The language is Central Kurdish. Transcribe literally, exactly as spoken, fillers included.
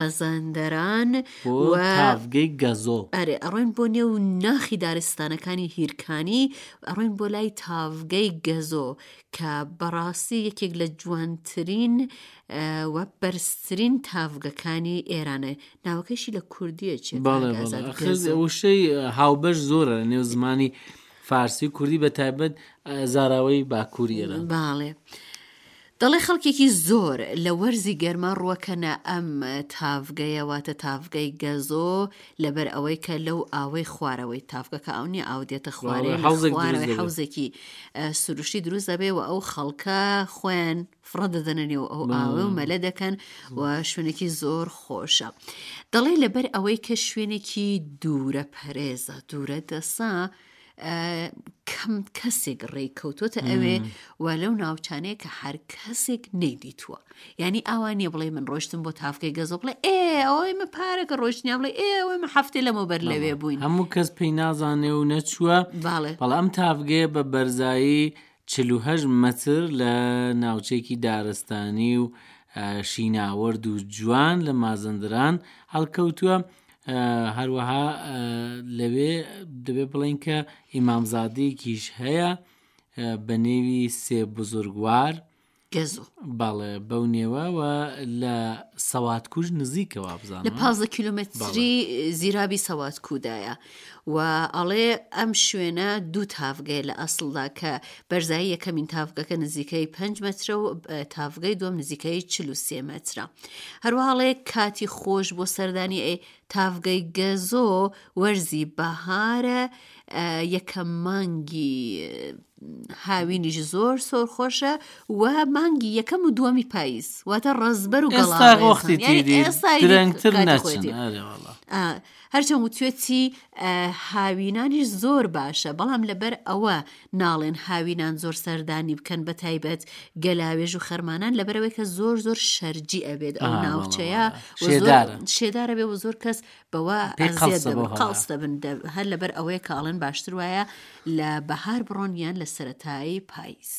مازەندەران بۆ و تاڤگەی گەزۆ. ئەرێ ئەڕۆین بۆ نێو ناخی دارستانەکانی هیرکانی ئەڕۆین بۆ لای تاڤگەی گەزۆ کە بەڕاستی یەکێک لە جوانترین و بەرزترین تاڤگەکانی ئێرانە ناوەکەشی لە کوردیە چێ بەڵێ بەڵێ ئەخر وشەی هاوبەش زۆرە لە نێو زمانی فارسی و کوردی بە تایبەت زاراوەی باکووری ئێران. باڵێ. دەڵێ خەڵکێکی زۆر لە وەرزی گەرما ڕووەکەنە ئەم تاڤگەیە واتە تاڤگەی گەزۆ لەبەر ئەوەی کە لەو ئاوەی خوارەوەی تاڤگەکە ئەو نییە ئاو دێتە خوارێ لە خوارەوەی حەوزێکی سروشتی دروست دەبێ و ئەو خەڵکە خۆیان فڕە دەدەنە نێو ئەو ئاوە و مەلە دەکەن و شوێنێکی زۆر خۆشە. دەڵێ لەبەر ئەوەی کە شوێنێکی دوورە پەرێزە دوورە دەسا کەم کەسێک ڕێی کەوتۆتە ئەوێ و لەو ناوچانەیە کە هەر کەسێک نەیدیتووە یعنی ئاوا نییە بڵێ من ڕۆشتم بۆ تافکەی گەزۆ بڵێ ئێ ئەوەی من پارەکە ڕۆشتنیا بڵێ ئێ ئەوەی من هەفتەی لەمەوبەر لەوێ بووین هەموو کەس پێی نازانێ و نەچووە بەڵێ بەڵام ئەم تاڤگەیە بە بەرزایی چل و هەشت مەتر لە ناوچەیەکی دارستانی و شیناوەرد و جوان لە مازەندران هەڵکەوتووە. هەروەها لەوێ دەبێ بڵێن کە ئیمامزادەیەکیش هەیە بە نێوی سێ بزرگوار گەزۆ بەڵێ بەو نێوە و لە سەواتکوش نزیکە وابزانم لە پازدە کیلۆمەتری زیرابی سەواتکودایە و ئەڵێ ئەم شوێنە دوو تاڤگەیە لە ئەسڵدا کە بەرزایی یەکەمین تاڤگەکە نزیکەی پەنج مەترە و تاڤگەی دووەم نزیکەی چل و سێ مەترە. هەروەها ئەڵێ کاتی خۆش بۆ سەردانی ئەی تاڤگەی گەزۆ وەرزی بەهارە یەکەم مانگی هاوینیش زۆر سۆر خۆشە و مانگی یەکەم و دووەمی پاییز واتە ڕەزبەر و ئێستا گەڵاڕێزان. وەختی یعنی تیری ئێستا ئیدی درەنگتر کاتی نەچن خۆیەتی. ئەرێ وەڵا. ئا، هەرچەند وتوێتی هاوینانیش زۆر باشە بەڵام لەبەر ئەوە ناڵێن هاوینان زۆر سەردانی بکەن بە تایبەت گەلاوێژ و خەرمانان لەبەرەوەی کە زۆر زۆر شەرجی ئەبێت ئەو ئا، بەڵێ، ناوچەیە بەڵێ. و زۆر شێدارە. شێدارە بێ و زۆر کەس بەوە پێی ئەزیەت قەڵسە دەبن، بۆ هەوا. قەڵس دەبن. دە- هەر لەبەر ئەوەیە کە ئەڵێن باشتر وایە لە بەهار بڕۆن یان لە سەرەتایی پاییز.